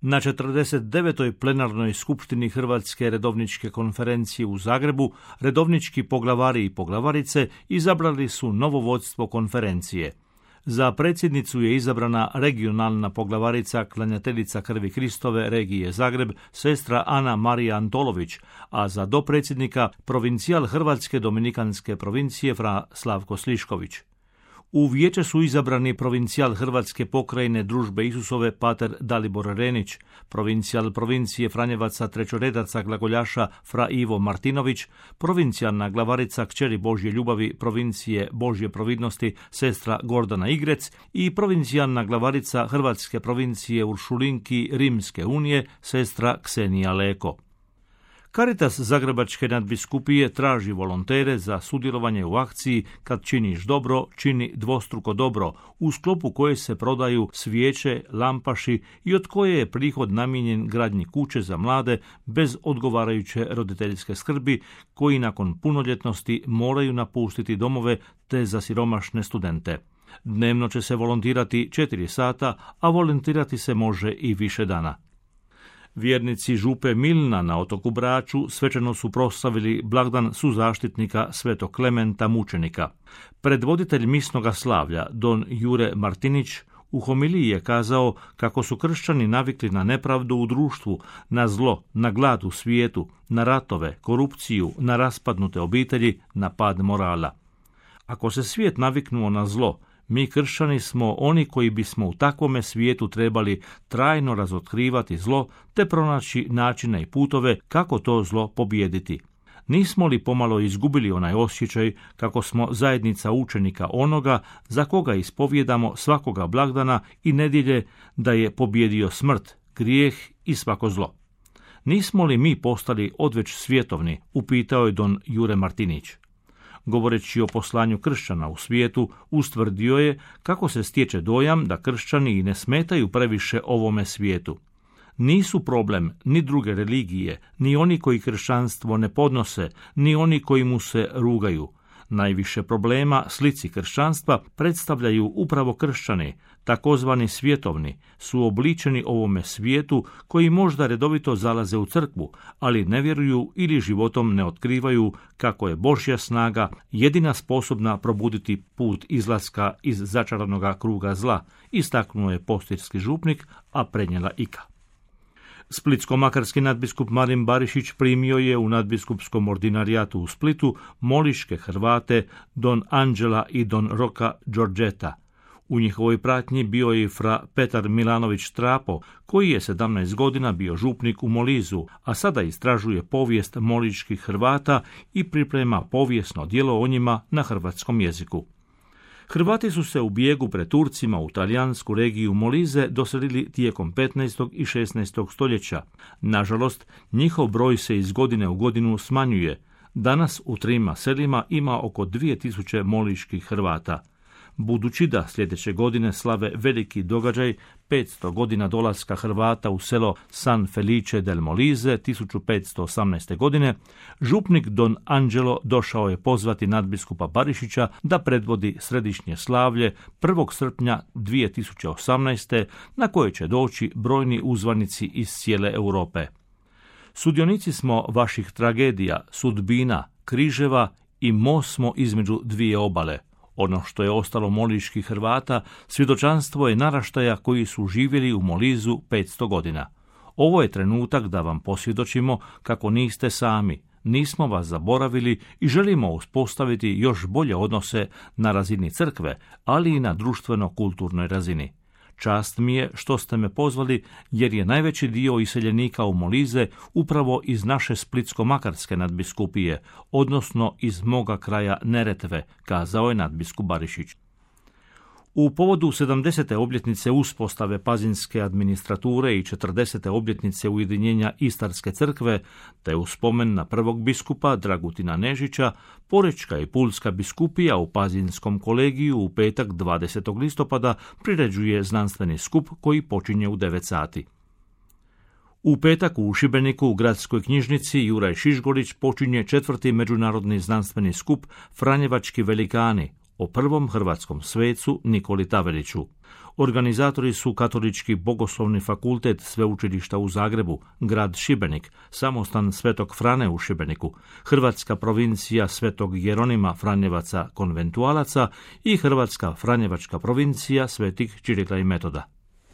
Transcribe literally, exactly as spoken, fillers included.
Na četrdeset devetoj plenarnoj skupštini Hrvatske redovničke konferencije u Zagrebu, redovnički poglavari i poglavarice izabrali su novo vodstvo konferencije. Za predsjednicu je izabrana regionalna poglavarica klanjateljica krvi Kristove regije Zagreb, sestra Ana Marija Antolović, a za dopredsjednika provincijal Hrvatske dominikanske provincije fra Slavko Slišković. U vijeće su izabrani provincijal Hrvatske pokrajine Družbe Isusove pater Dalibor Renić, provincijal provincije Franjevaca trećoredaca glagoljaša fra Ivo Martinović, provincijalna glavarica kćeri Božje ljubavi provincije Božje providnosti sestra Gordana Igrec i provincijalna glavarica Hrvatske provincije Uršulinki Rimske unije sestra Ksenija Leko. Caritas Zagrebačke nadbiskupije traži volontere za sudjelovanje u akciji Kad činiš dobro, čini dvostruko dobro, u sklopu koje se prodaju svijeće, lampaši i od koje je prihod namijenjen gradnji kuće za mlade bez odgovarajuće roditeljske skrbi, koji nakon punoljetnosti moraju napustiti domove, te za siromašne studente. Dnevno će se volontirati četiri sata, a volontirati se može i više dana. Vjernici župe Milna na otoku Braču svečano su proslavili blagdan suzaštitnika svetog Klementa mučenika. Predvoditelj misnoga slavlja, don Jure Martinić, u homiliji je kazao kako su kršćani navikli na nepravdu u društvu, na zlo, na glad u svijetu, na ratove, korupciju, na raspadnute obitelji, na pad morala. Ako se svijet naviknuo na zlo, mi kršćani smo oni koji bismo u takvome svijetu trebali trajno razotkrivati zlo te pronaći načine i putove kako to zlo pobijediti. Nismo li pomalo izgubili onaj osjećaj kako smo zajednica učenika onoga za koga ispovjedamo svakoga blagdana i nedjelje da je pobjedio smrt, grijeh i svako zlo? Nismo li mi postali odveć svjetovni, upitao je don Jure Martinić. Govoreći o poslanju kršćana u svijetu, ustvrdio je kako se stječe dojam da kršćani i ne smetaju previše ovome svijetu. Nisu problem ni druge religije, ni oni koji kršćanstvo ne podnose, ni oni koji mu se rugaju. Najviše problema slici kršćanstva predstavljaju upravo kršćani, takozvani svjetovni, su obličeni ovome svijetu koji možda redovito zalaze u crkvu, ali ne vjeruju ili životom ne otkrivaju kako je Božja snaga jedina sposobna probuditi put izlaska iz začaranoga kruga zla, istaknuo je postirski župnik, a prenijela Ika. Splitsko-makarski nadbiskup Marin Barišić primio je u nadbiskupskom ordinarijatu u Splitu moliške Hrvate don Anđela i don Roka Đorđeta. U njihovoj pratnji bio je fra Petar Milanović Trapo, koji je sedamnaest godina bio župnik u Molizu, a sada istražuje povijest moliških Hrvata i priprema povijesno djelo o njima na hrvatskom jeziku. Hrvati su se u bijegu pred Turcima u talijansku regiju Molize doselili tijekom petnaestog i šesnaestog stoljeća. Nažalost, njihov broj se iz godine u godinu smanjuje. Danas u trima selima ima oko dvije tisuće moliških Hrvata. Budući da sljedeće godine slave veliki događaj, petsto godina dolaska Hrvata u selo San Felice del Molise tisuću petsto osamnaeste. godine, župnik don Angelo došao je pozvati nadbiskupa Barišića da predvodi središnje slavlje prvog srpnja dvije tisuće osamnaeste. na koje će doći brojni uzvanici iz cijele Europe. Sudionici smo vaših tragedija, sudbina, križeva i most smo između dvije obale. Ono što je ostalo moliških Hrvata, svjedočanstvo je naraštaja koji su živjeli u Molizu petsto godina. Ovo je trenutak da vam posvjedočimo kako niste sami, nismo vas zaboravili i želimo uspostaviti još bolje odnose na razini crkve, ali i na društveno-kulturnoj razini. Čast mi je što ste me pozvali, jer je najveći dio iseljenika u Molize upravo iz naše Splitsko-makarske nadbiskupije, odnosno iz moga kraja Neretve, kazao je nadbiskup Barišić. U povodu sedamdesete obljetnice uspostave pazinske administrature i četrdesete obljetnice ujedinjenja Istarske crkve, te u spomen na prvog biskupa Dragutina Nežića, Porečka i Pulska biskupija u Pazinskom kolegiju u petak dvadesetog listopada priređuje znanstveni skup koji počinje u devet sati. U petak u Šibeniku u gradskoj knjižnici Juraj Šišgolić počinje četvrti međunarodni znanstveni skup Franjevački velikani, o prvom hrvatskom svecu Nikoli Taveliću. Organizatori su Katolički bogoslovni fakultet Sveučilišta u Zagrebu, grad Šibenik, samostan Svetog Frane u Šibeniku, Hrvatska provincija Svetog Jeronima Franjevaca konventualaca i Hrvatska franjevačka provincija Svetih Čirila i Metoda.